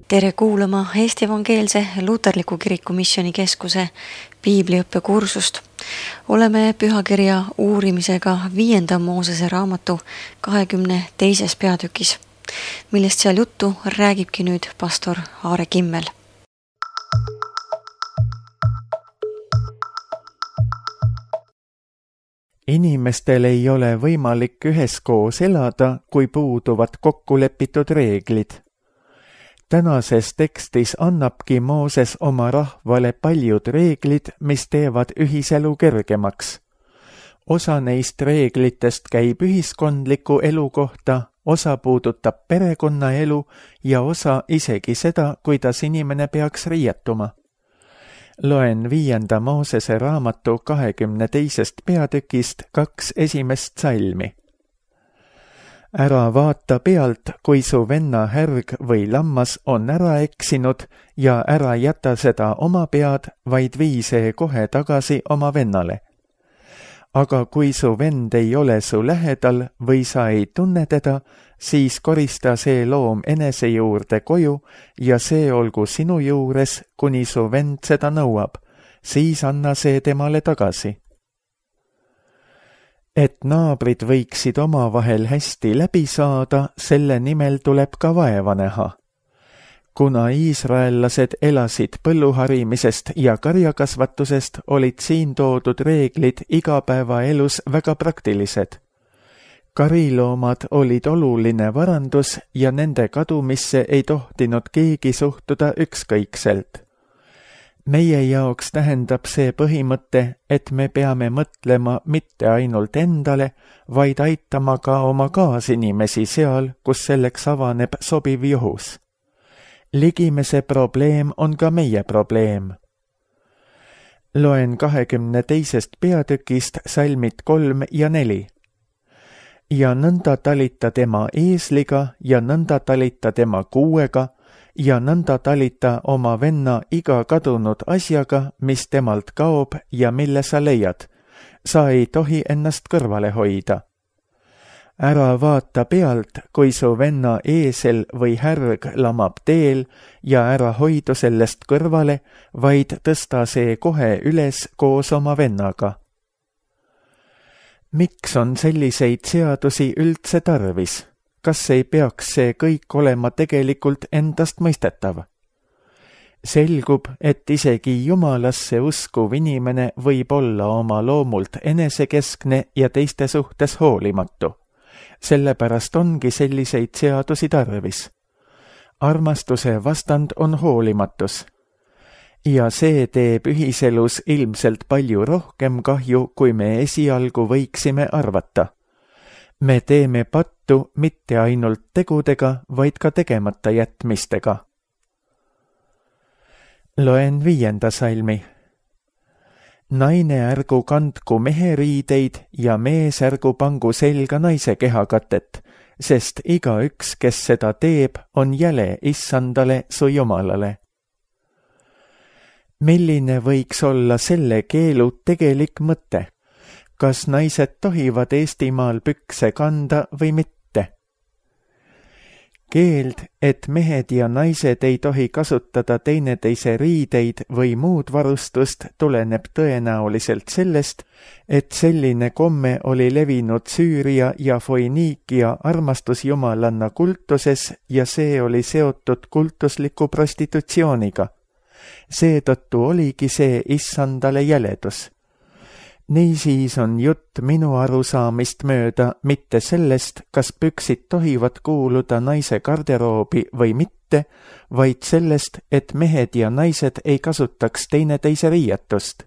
Tere kuulama Eesti Evangeelse Luterliku Kiriku Missioonikeskuse piibliõppekursust. Oleme pühakirja uurimisega 5. Moosese raamatu 22. peatükis, millest seal juttu räägibki nüüd pastor Aare Kimmel. Inimestel ei ole võimalik üheskoos elada, kui puuduvad kokkulepitud reeglid. Tänases tekstis annabki Mooses oma rahvale paljud reeglid, mis teevad ühiselu kergemaks. Osa neist reeglitest käib ühiskondliku elu kohta, osa puudutab perekonnaelu ja osa isegi seda, kuidas inimene peaks riietuma. Loen 5. Moosese raamatu 22. peatükist 2 esimest salmi. Ära vaata pealt, kui su venna härg või lammas on ära eksinud ja ära jäta seda oma pead, vaid vii see kohe tagasi oma vennale. Aga kui su vend ei ole su lähedal või sa ei tunne teda, siis korista see loom enese juurde koju ja see olgu sinu juures, kuni su vend seda nõuab, siis anna see temale tagasi. Et naabrid võiksid omavahel hästi läbi saada, selle nimel tuleb ka vaeva näha. Kuna iisraellased elasid põlluharimisest ja karjakasvatusest, olid siin toodud reeglid igapäevaelus väga praktilised. Kariloomad olid oluline varandus ja nende kadumisse ei tohtinud keegi suhtuda ükskõikselt. Meie jaoks tähendab see põhimõte, et me peame mõtlema mitte ainult endale, vaid aitama ka oma kaasinimesi seal, kus selleks avaneb sobiv juhus. Ligimese probleem on ka meie probleem. Loen 22. peatükist salmid 3 ja 4. Ja nõnda talita tema eesliga ja nõnda talita tema kuuega, ja nõnda talita oma venna iga kadunud asjaga, mis temalt kaob ja mille sa leiad. Sa ei tohi ennast kõrvale hoida. Ära vaata pealt, kui su venna eesel või härg lamab teel ja ära hoidu sellest kõrvale, vaid tõsta see kohe üles koos oma vennaga. Miks on selliseid seadusi üldse tarvis? Kas ei peaks see kõik olema tegelikult endast mõistetav? Selgub, et isegi Jumalasse uskuv inimene võib olla oma loomult enesekeskne ja teiste suhtes hoolimatu. Sellepärast ongi selliseid seadusi tarvis. Armastuse vastand on hoolimatus. Ja see teeb ühiselus ilmselt palju rohkem kahju, kui me esialgu võiksime arvata. Me teeme pattu mitte ainult tegudega, vaid ka tegemata jätmistega. Loen 5. salmi. Naine ärgu kandku mehe riideid ja mees ärgu pangu selga naise kehakatet, sest igaüks, kes seda teeb, on jäle Issandale su Jumalale. Milline võiks olla selle keelu tegelik mõte? Kas naised tohivad Eestimaal pükse kanda või mitte? Keeld, et mehed ja naised ei tohi kasutada teineteise riideid või muud varustust, tuleneb tõenäoliselt sellest, et selline komme oli levinud Süüria ja Foiniikia armastusjumalanna kultuses ja see oli seotud kultusliku prostitutsiooniga. Seetõttu oligi see Issandale jäledus. Niisiis on jutt minu arusaamist mööda mitte sellest, kas püksid tohivad kuuluda naise garderoobi või mitte, vaid sellest, et mehed ja naised ei kasutaks teineteise riietust.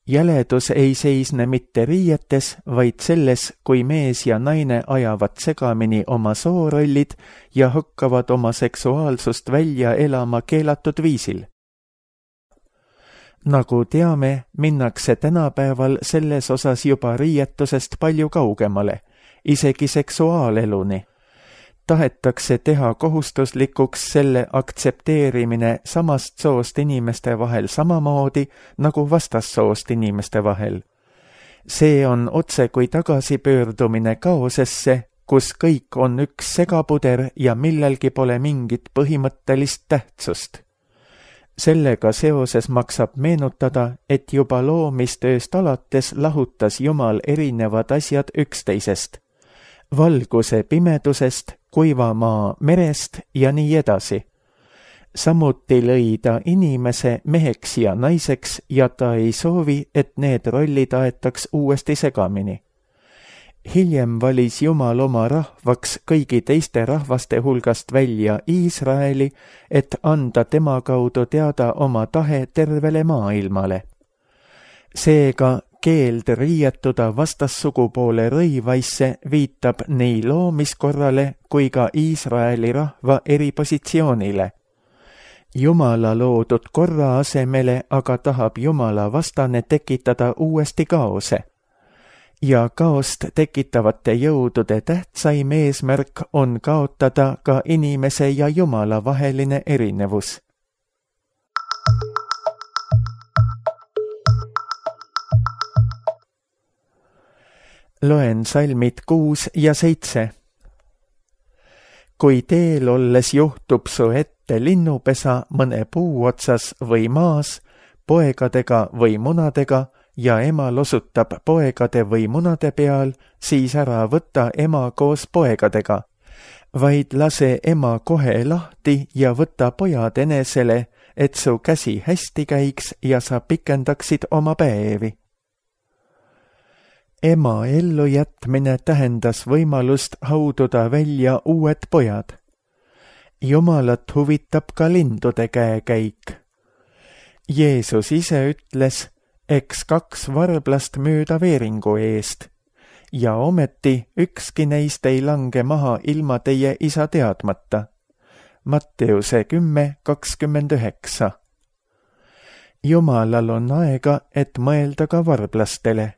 Jäledus ei seisne mitte riietes, vaid selles, kui mees ja naine ajavad segamini oma soorollid ja hakkavad oma seksuaalsust välja elama keelatud viisil. Nagu teame, minnakse tänapäeval selles osas juba riietusest palju kaugemale, isegi seksuaaleluni. Tahetakse teha kohustuslikuks selle aktsepteerimine samast soost inimeste vahel samamoodi nagu vastassoost inimeste vahel. See on otse kui tagasipöördumine kaosesse, kus kõik on üks segapuder ja millelgi pole mingit põhimõttelist tähtsust. Sellega seoses maksab meenutada, et juba loomistööst alates lahutas Jumal erinevad asjad üksteisest, valguse pimedusest, kuiva maa merest ja nii edasi. Samuti lõi ta inimese meheks ja naiseks ja ta ei soovi, et need rollid aetaks uuesti segamini. Hiljem valis Jumal oma rahvaks kõigi teiste rahvaste hulgast välja Iisraeli, et anda tema kaudu teada oma tahe tervele maailmale. Seega keeld riietuda vastassugupoole rõivaisse viitab nii loomiskorrale kui ka Iisraeli rahva eripositsioonile. Jumala loodud korra asemele aga tahab Jumala vastane tekitada uuesti kaose. Ja kaost tekitavate jõudude tähtsaim eesmärk on kaotada ka inimese ja Jumala vaheline erinevus. Loen salmid 6 ja 7. Kui teel olles juhtub su ette linnupesa mõne puu otsas või maas, poegadega või munadega, ja ema losutab poegade või munade peal, siis ära võta ema koos poegadega, vaid lase ema kohe lahti ja võta pojad enesele, et su käsi hästi käiks ja sa pikendaksid oma päevi. Ema ellujätmine tähendas võimalust haududa välja uued pojad. Jumalat huvitab ka lindude käekäik. Jeesus ise ütles, eks 2 varblast müüda veeringu eest, ja ometi ükski neist ei lange maha ilma teie isa teadmata. Matteuse 10:29. Jumalal on aega, et mõelda ka varblastele.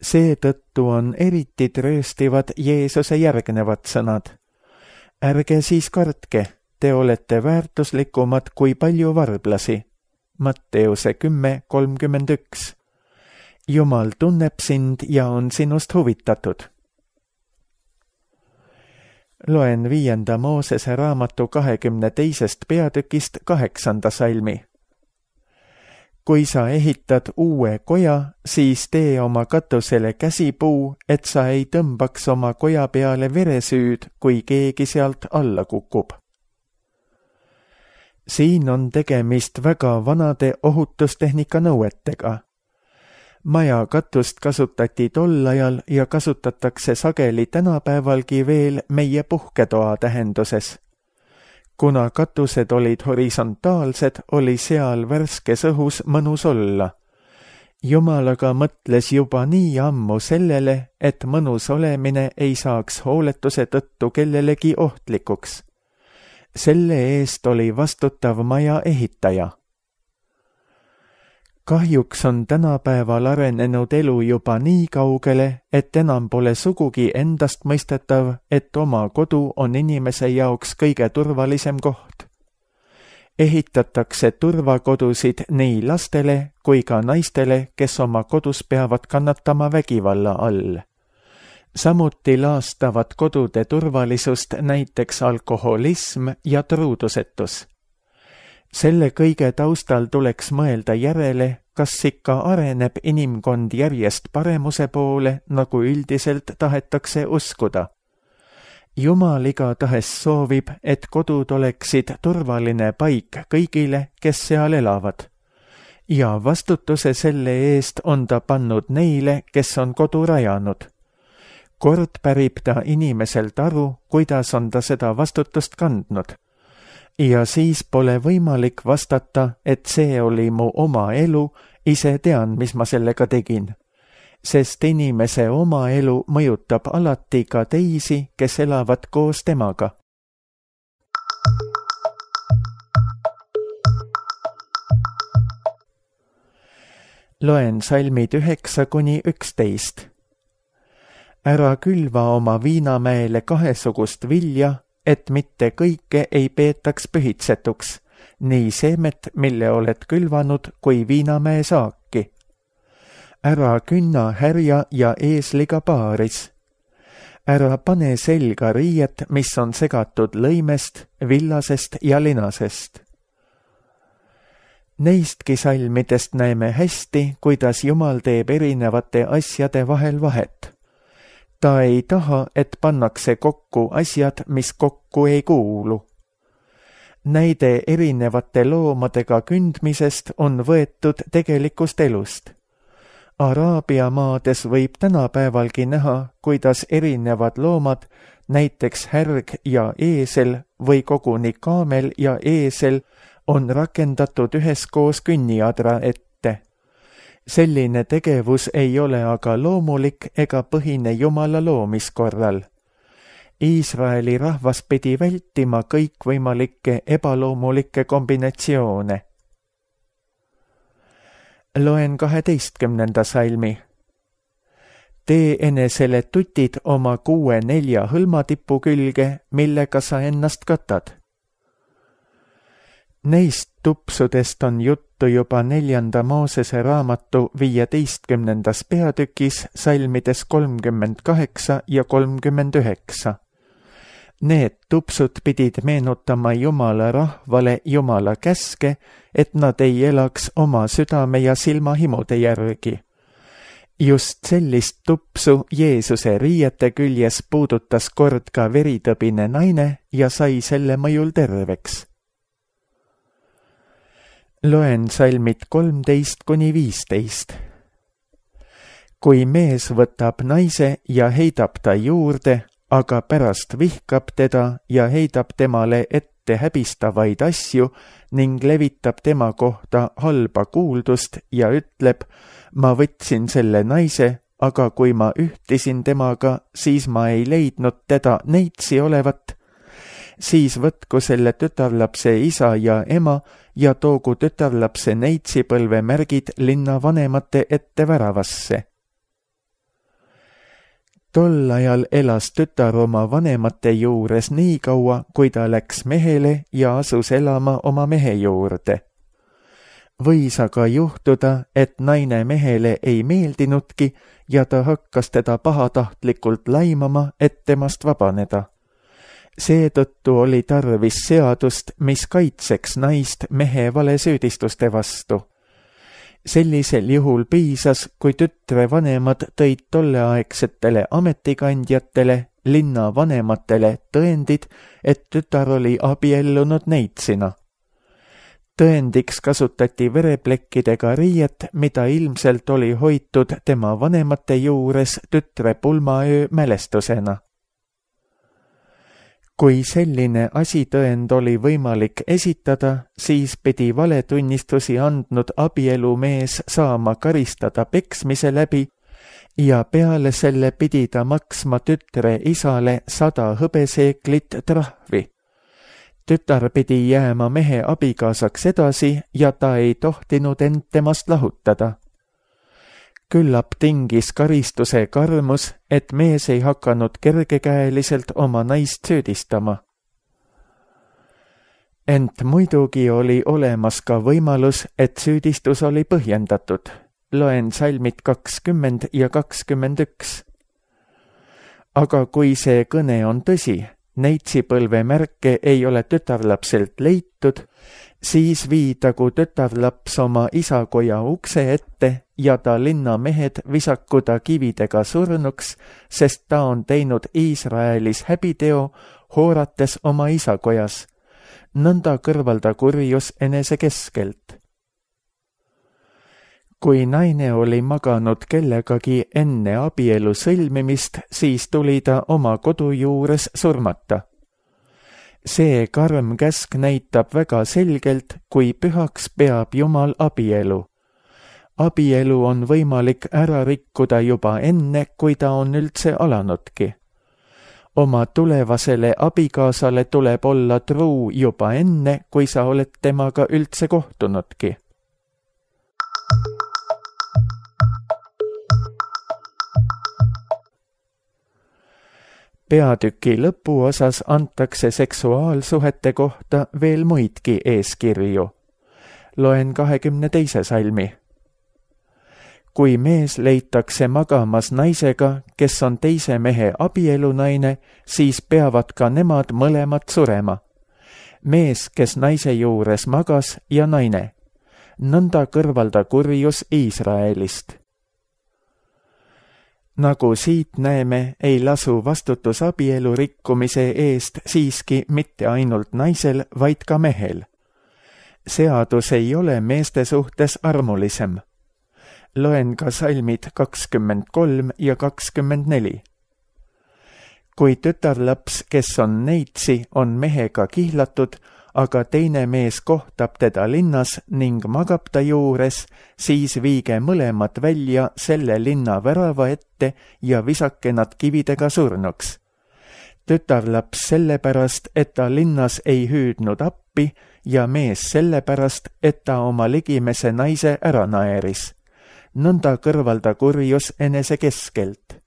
Seetõttu on eriti trööstivad Jeesuse järgnevad sõnad. Ärge siis kartke, te olete väärtuslikumad kui palju varblasi. Matteuse 10:31. Jumal tunneb sind ja on sinust huvitatud. Loen 5. Moosese raamatu 22. peatükist 8. salmi. Kui sa ehitad uue koja, siis tee oma katusele käsipuu, et sa ei tõmbaks oma koja peale veresüüd, kui keegi sealt alla kukub. Siin on tegemist väga vanade ohutustehnika nõuetega. Maja katust kasutati tol ajal ja kasutatakse sageli tänapäevalgi veel meie puhketoa tähenduses. Kuna katused olid horisontaalsed, oli seal värskes õhus mõnus olla. Jumal aga mõtles juba nii ammu sellele, et mõnus olemine ei saaks hooletuse tõttu kellelegi ohtlikuks. Selle eest oli vastutav maja ehitaja. Kahjuks on tänapäeval arenenud elu juba nii kaugele, et enam pole sugugi endastmõistetav, et oma kodu on inimese jaoks kõige turvalisem koht. Ehitatakse turvakodusid nii lastele kui ka naistele, kes oma kodus peavad kannatama vägivalla all. Samuti laastavad kodude turvalisust näiteks alkoholism ja truudusetus. Selle kõige taustal tuleks mõelda järele, kas ikka areneb inimkond järjest paremuse poole, nagu üldiselt tahetakse uskuda. Jumal igatahes soovib, et kodud oleksid turvaline paik kõigile, kes seal elavad. Ja vastutuse selle eest on ta pannud neile, kes on kodu rajanud. Kord pärib ta inimeselt aru, kuidas on ta seda vastutust kandnud. Ja siis pole võimalik vastata, et see oli mu oma elu, ise tean, mis ma sellega tegin. Sest inimese oma elu mõjutab alati ka teisi, kes elavad koos temaga. Loen salmid 9-11. Ära külva oma viinamäele kahesugust vilja, et mitte kõike ei peetaks pühitsetuks, nii seemet, mille oled külvanud, kui viinamäe saaki. Ära künna härja ja eesliga paaris. ära pane selga riiet, mis on segatud lõimest, villasest ja linasest. Neistki salmidest näeme hästi, kuidas Jumal teeb erinevate asjade vahel vahet. Ta ei taha, et pannakse kokku asjad, mis kokku ei kuulu. Näide erinevate loomadega kündmisest on võetud tegelikust elust. Araabia maades võib tänapäevalgi näha, kuidas erinevad loomad, näiteks härg ja eesel või koguni kaamel ja eesel, on rakendatud üheskoos künniadra ette. Selline tegevus ei ole aga loomulik ega põhine Jumala loomiskorral. Iisraeli rahvas pidi vältima kõikvõimalikke ebaloomulikke kombinatsioone. Loen 12. salmi. Tee enesele tutid oma 6-4 hõlmatipu külge, millega sa ennast katad. Neist tupsudest on juttu juba 4. Moosese raamatu 15. peatükis salmides 38 ja 39. Need tupsud pidid meenutama Jumala rahvale Jumala käske, et nad ei elaks oma südame ja silmahimude järgi. Just sellist tupsu Jeesuse riiete küljes puudutas kord ka veritõbine naine ja sai selle mõjul terveks. Loen salmid 13-15. Kui mees võtab naise ja heidab ta juurde, aga pärast vihkab teda ja heidab temale ette häbistavaid asju ning levitab tema kohta halba kuuldust ja ütleb, ma võtsin selle naise, aga kui ma ühtisin temaga, siis ma ei leidnud teda neitsi olevat, siis võtku selle tütarlapse isa ja ema ja toogu tütarlapse neitsipõlve märgid linna vanemate ette väravasse. Tol ajal elas tütar oma vanemate juures nii kaua, kui ta läks mehele ja asus elama oma mehe juurde. Võis aga juhtuda, et naine mehele ei meeldinudki ja ta hakkas teda pahatahtlikult laimama, et temast vabaneda. Seetõttu oli tarvis seadust, mis kaitseks naist mehe valesüüdistuste vastu. Sellisel juhul piisas, kui tütre vanemad tõid tolleaegsetele ametikandjatele, linna vanematele tõendid, et tütar oli abiellunud neitsina. Tõendiks kasutati vereplekkidega riiet, mida ilmselt oli hoitud tema vanemate juures tütre pulmaöö mälestusena. Kui selline asitõend oli võimalik esitada, siis pidi valetunnistusi andnud abielumees saama karistada peksmise läbi ja peale selle pidi ta maksma tütre isale 100 hõbeseeklit trahvi. Tütar pidi jääma mehe abikaasaks edasi ja ta ei tohtinud end temast lahutada. Küllap tingis karistuse karmus, et mees ei hakanud kergekäeliselt oma naist süüdistama. Ent muidugi oli olemas ka võimalus, et süüdistus oli põhjendatud. Loen salmid 20 ja 21. Aga kui see kõne on tõsi, neitsipõlve märke ei ole tütarlapselt leitud, siis viidagu tütarlaps oma isakoja ukse ette ja ta linnamehed visaku ta kividega surnuks, sest ta on teinud Iisraelis häbiteo, hoorates oma isakojas. Nõnda kõrvalda kurjus enese keskelt. Kui naine oli maganud kellegagi enne abielu sõlmimist, siis tuli ta oma kodu juures surmata. See karm käsk näitab väga selgelt, kui pühaks peab Jumal abielu. Abielu on võimalik ära rikkuda juba enne, kui ta on üldse alanudki. Oma tulevasele abikaasale tuleb olla truu juba enne, kui sa oled temaga üldse kohtunudki. Peatüki lõpuosas antakse seksuaalsuhete kohta veel muidki eeskirju. Loen 22. salmi. kui mees leitakse magamas naisega, kes on teise mehe abielunaine, siis peavad ka nemad mõlemad surema. Mees, kes naise juures magas, ja naine. Nõnda kõrvalda kurjus Iisraelist. Nagu siit näeme, ei lasu vastutus abielu rikkumise eest siiski mitte ainult naisel, vaid ka mehel. Seadus ei ole meeste suhtes armulisem. Loen ka salmid 23 ja 24. Kui tütarlaps, kes on neitsi, on mehega kihlatud, aga teine mees kohtab teda linnas ning magab ta juures, siis viige mõlemad välja selle linna värava ette ja visake nad kividega surnuks. Tütarlaps sellepärast, et ta linnas ei hüüdnud appi ja mees sellepärast, et ta oma ligimese naise ära naeris. Nõnda kõrvalda kurjus enese keskelt.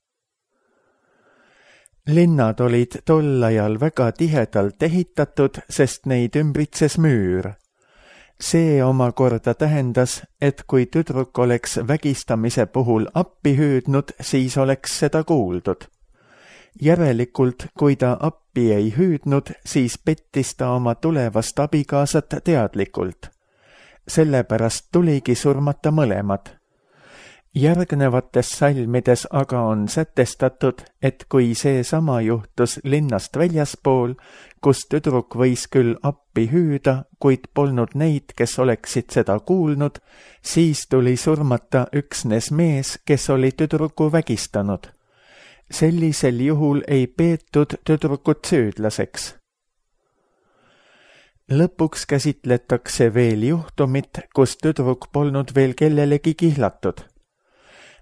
Linnad olid tol ajal väga tihedalt ehitatud, sest neid ümbritses müür. See omakorda tähendas, et kui tüdruk oleks vägistamise puhul appi hüüdnud, siis oleks seda kuuldud. Järelikult, kui ta appi ei hüüdnud, siis pettis ta oma tulevast abikaasat teadlikult. Sellepärast tuligi surmata mõlemad. Järgnevates salmides aga on sätestatud, et kui see sama juhtus linnast väljaspool, kus tüdruk võis küll appi hüüda, kuid polnud neid, kes oleksid seda kuulnud, siis tuli surmata üksnes mees, kes oli tüdruku vägistanud. Sellisel juhul ei peetud tüdrukut süüdlaseks. Lõpuks käsitletakse veel juhtumit, kus tüdruk polnud veel kellelegi kihlatud.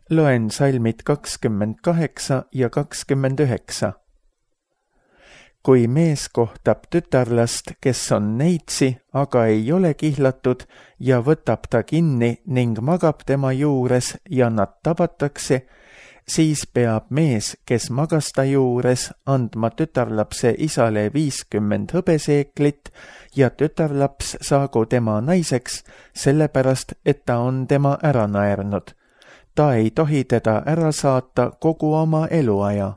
Loen salmid 28 ja 29. Kui mees kohtab tütarlast, kes on neitsi, aga ei ole kihlatud, ja võtab ta kinni ning magab tema juures ja nad tabatakse, siis peab mees, kes magas ta juures, andma tütarlapse isale 50 hõbeseeklit ja tütarlaps saagu tema naiseks, sellepärast, et ta on tema ära naernud. Ta ei tohi teda ära saata kogu oma eluaja.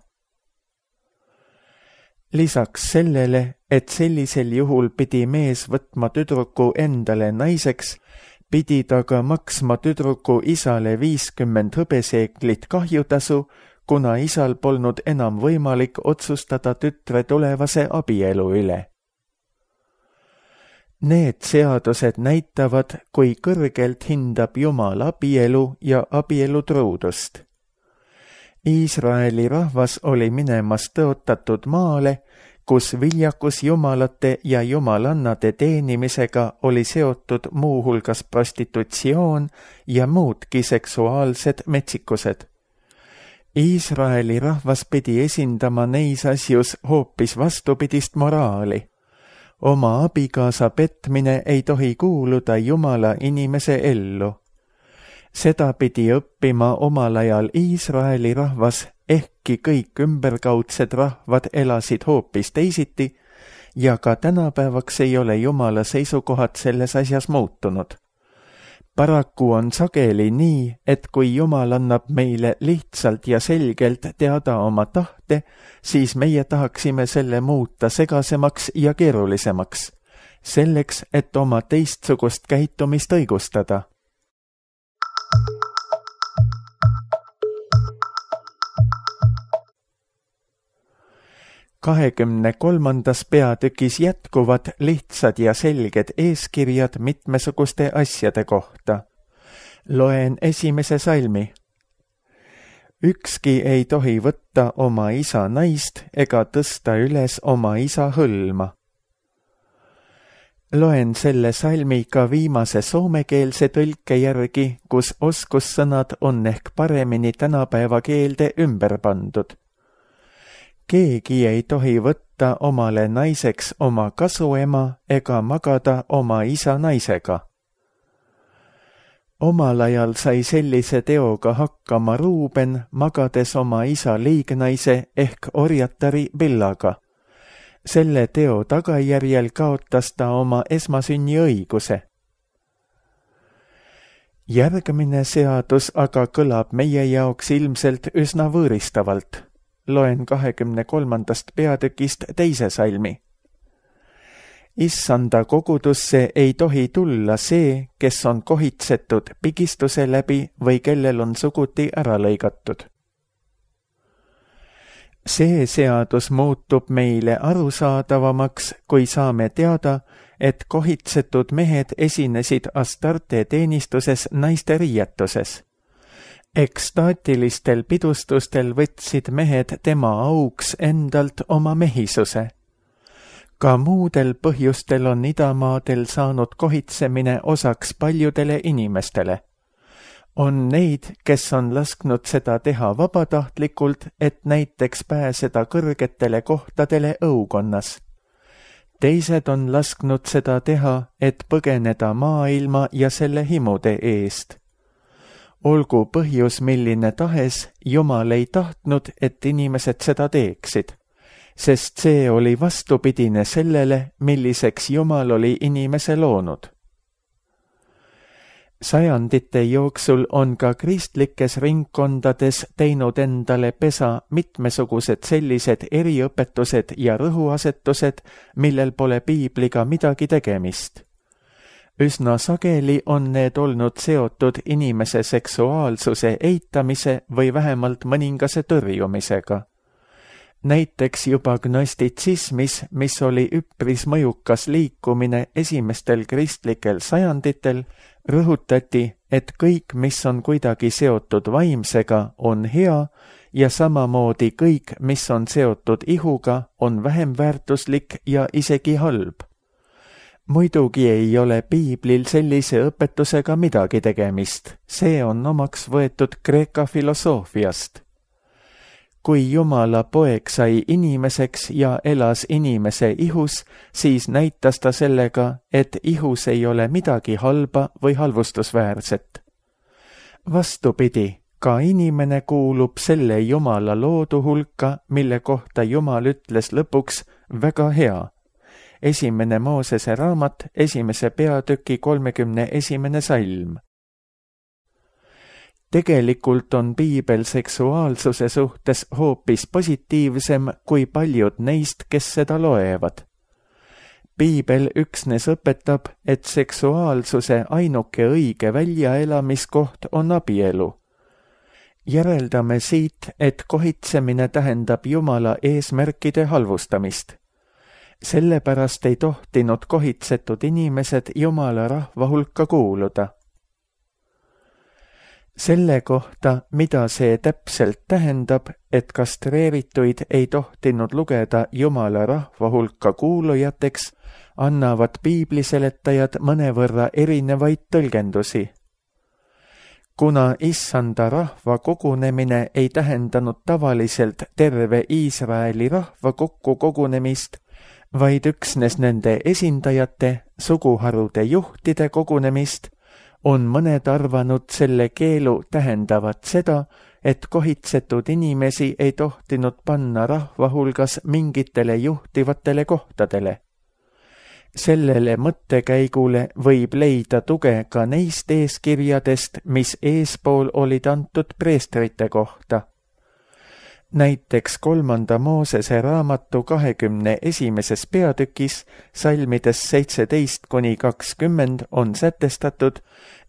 Lisaks sellele, et sellisel juhul pidi mees võtma tüdruku endale naiseks, pidi ta ka maksma tüdruku isale 50 hõbeseeklit kahjutasu, kuna isal polnud enam võimalik otsustada tütre tulevase abielu üle. Need seadused näitavad, kui kõrgelt hindab Jumal abielu ja abielu truudust. Iisraeli rahvas oli minemas tõotatud maale, kus viljakus jumalate ja jumalannade teenimisega oli seotud muuhulgas prostitutsioon ja muudki seksuaalsed metsikused. Iisraeli rahvas pidi esindama neis asjus hoopis vastupidist moraali. Oma abikaasa petmine ei tohi kuuluda Jumala inimese ellu. Seda pidi õppima omal ajal Iisraeli rahvas, ehkki kõik ümberkaudsed rahvad elasid hoopis teisiti ja ka tänapäevaks ei ole Jumala seisukohad selles asjas muutunud. Paraku on sageli nii, et kui Jumal annab meile lihtsalt ja selgelt teada oma tahte, siis meie tahaksime selle muuta segasemaks ja keerulisemaks, selleks, et oma teistsugust käitumist õigustada. Kahekümne 3. peatükis jätkuvad lihtsad ja selged eeskirjad mitmesuguste asjade kohta. Loen esimese salmi. Ükski ei tohi võtta oma isa naist ega tõsta üles oma isa hõlma. Loen selle salmi ka viimase soomekeelse tõlke järgi, kus oskussõnad on ehk paremini tänapäeva keelde ümber pandud. Keegi ei tohi võtta omale naiseks oma kasuema ega magada oma isa naisega. Omal ajal sai sellise teoga hakkama Ruuben, magades oma isa liignaise ehk orjatari Billaga. Selle teo tagajärjel kaotas ta oma esmasünni õiguse. Järgmine seadus aga kõlab meie jaoks ilmselt üsna võõristavalt. Loen 23. peatükist 2. salmi. Issanda kogudusse ei tohi tulla see, kes on kohitsetud pigistuse läbi või kellel on suguti ära lõigatud. See seadus muutub meile arusaadavamaks, kui saame teada, et kohitsetud mehed esinesid Astarte teenistuses naiste riietuses. Ekstaatilistel pidustustel võtsid mehed tema auks endalt oma mehisuse. Ka muudel põhjustel on idamaadel saanud kohitsemine osaks paljudele inimestele. On neid, kes on lasknud seda teha vabatahtlikult, et näiteks pääseda kõrgetele kohtadele õukonnas. Teised on lasknud seda teha, et põgeneda maailma ja selle himude eest. Olgu põhjus milline tahes, Jumal ei tahtnud, et inimesed seda teeksid, sest see oli vastupidine sellele, milliseks Jumal oli inimese loonud. Sajandite jooksul on ka kristlikes ringkondades teinud endale pesa mitmesugused sellised eriõpetused ja rõhuasetused, millel pole piibliga midagi tegemist. Üsna sageli on need olnud seotud inimese seksuaalsuse eitamise või vähemalt mõningase tõrjumisega. Näiteks juba gnostitsismis, mis oli üpris mõjukas liikumine esimestel kristlikel sajanditel, rõhutati, et kõik, mis on kuidagi seotud vaimsega, on hea ja samamoodi kõik, mis on seotud ihuga, on vähem väärtuslik ja isegi halb. Muidugi ei ole piiblil sellise õpetusega midagi tegemist, see on omaks võetud Kreeka filosoofiast. Kui Jumala poeg sai inimeseks ja elas inimese ihus, siis näitas ta sellega, et ihus ei ole midagi halba või halvustusväärset. Vastupidi, ka inimene kuulub selle Jumala loodu hulka, mille kohta Jumal ütles lõpuks väga hea. 1. Moosese raamat, 1. peatüki 31. salm. Tegelikult on piibel seksuaalsuse suhtes hoopis positiivsem kui paljud neist, kes seda loevad. Piibel üksnes õpetab, et seksuaalsuse ainuke õige väljaelamiskoht on abielu. Järeldame siit, et kohitsemine tähendab Jumala eesmärkide halvustamist. Sellepärast ei tohtinud kohitsetud inimesed Jumala rahva hulka kuuluda. Selle kohta, mida see täpselt tähendab, et kastreerituid ei tohtinud lugeda Jumala rahva hulka kuulujateks, annavad piibliseletajad mõnevõrra erinevaid tõlgendusi. Kuna issanda rahva kogunemine ei tähendanud tavaliselt terve Iisraeli rahva kokkukogunemist, vaid üksnes nende esindajate, suguharude juhtide kogunemist, on mõned arvanud selle keelu tähendavat seda, et kohitsetud inimesi ei tohtinud panna rahva hulgas mingitele juhtivatele kohtadele. Sellele mõttekäigule võib leida tuge ka neist eeskirjadest, mis eespool olid antud preestrite kohta. Näiteks 3. Moosese raamatu 21. peatükis salmides 17–20 on sätestatud,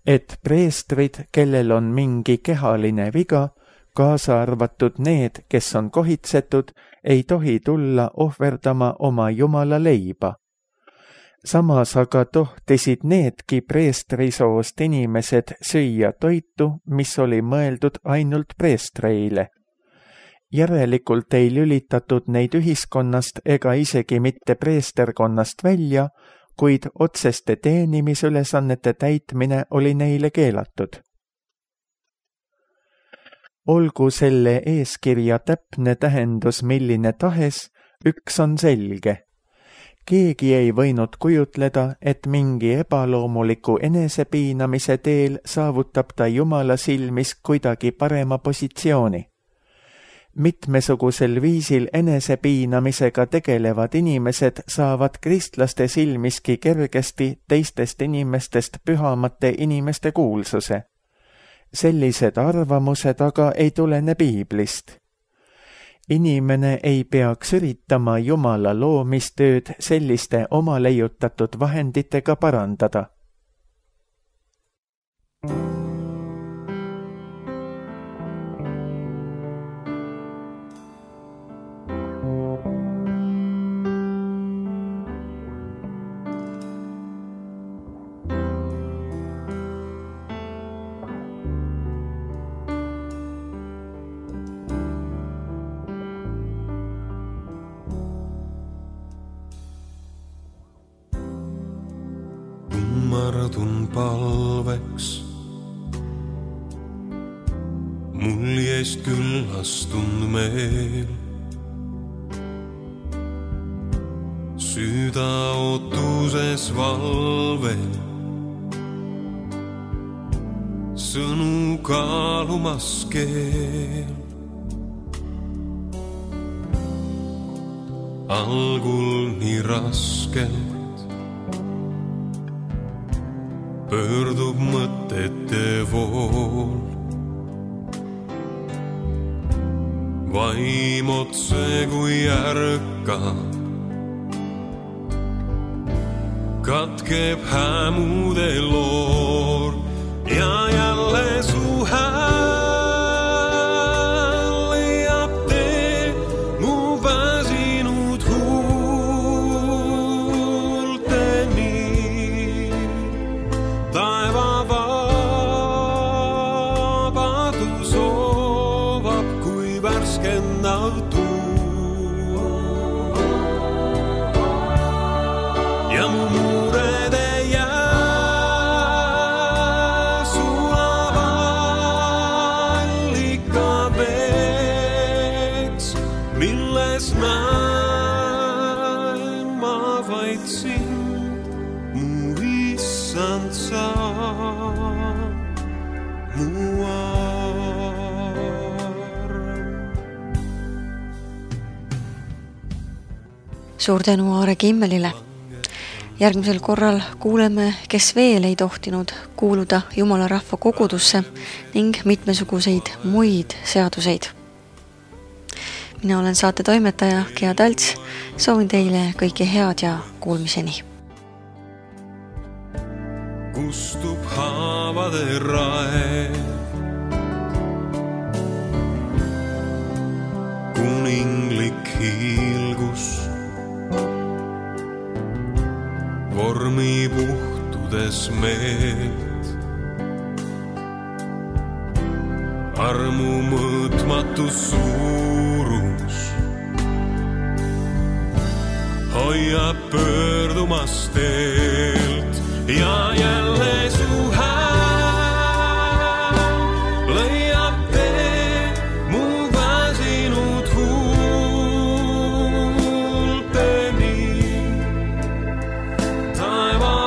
et preestrid, kellel on mingi kehaline viga, kaasa arvatud need, kes on kohitsetud, ei tohi tulla ohverdama oma Jumala leiba. Samas aga tohtisid needki preestrisoost inimesed süüa toitu, mis oli mõeldud ainult preestreile. Järelikult ei lülitatud neid ühiskonnast ega isegi mitte preesterkonnast välja, kuid otseste teenimisülesannete täitmine oli neile keelatud. Olgu selle eeskirja täpne tähendus milline tahes, üks on selge. Keegi ei võinud kujutleda, et mingi ebaloomuliku enesepiinamise teel saavutab ta Jumala silmis kuidagi parema positsiooni. Mitmesugusel viisil enesepiinamisega tegelevad inimesed saavad kristlaste silmiski kergesti teistest inimestest pühamate inimeste kuulsuse. Sellised arvamused aga ei tulene piiblist. Inimene ei peaks üritama Jumala loomistööd selliste oma leiutatud vahenditega parandada. Kummardun palveks, muljest küllastund meel. Süda ootuses valvel, sõnu kaalumas keel. Algul nii raskelt pöördub mõtete vool. Vaim otse kui ärkab, katkeb hämude loor ja jälle su hääl leiab tee mu väsinud huulteni. Taeva vabadus soovab kui värskendav tuu. Ja mu muurede jää sulab allika veeks, milles näen ma vaid sind, mu issand sa. Suur tänu Aare Kimmelile. Järgmisel korral kuuleme, kes veel ei tohtinud kuuluda Jumala rahva kogudusse ning mitmesuguseid muid seaduseid. Mina olen saate toimetaja Gea Talts. Soovin teile kõike head ja kuulmiseni. Kustub haavade raev, kuninglik hiilgus vormi puhtudes meelt. Armu mõõtmatu suurus hoiab pöördumas teelt ja jälle su hääl leiab tee mu väsinud huulteni. Taeva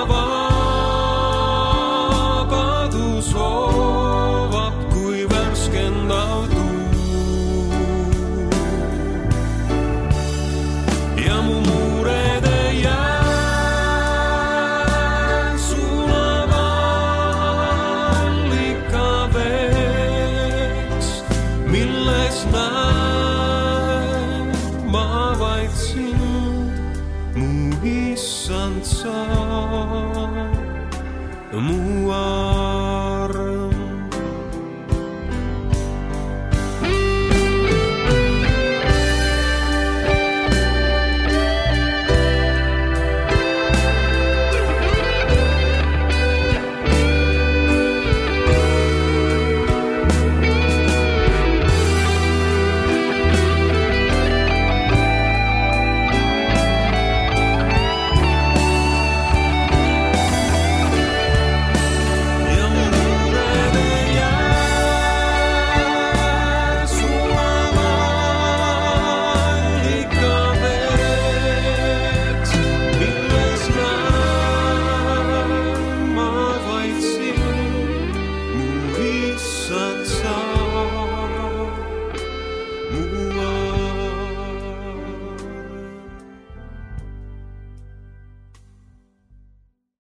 vabadus soovab kui värskendav tuu. Ja mu muurede mu issand sa, mu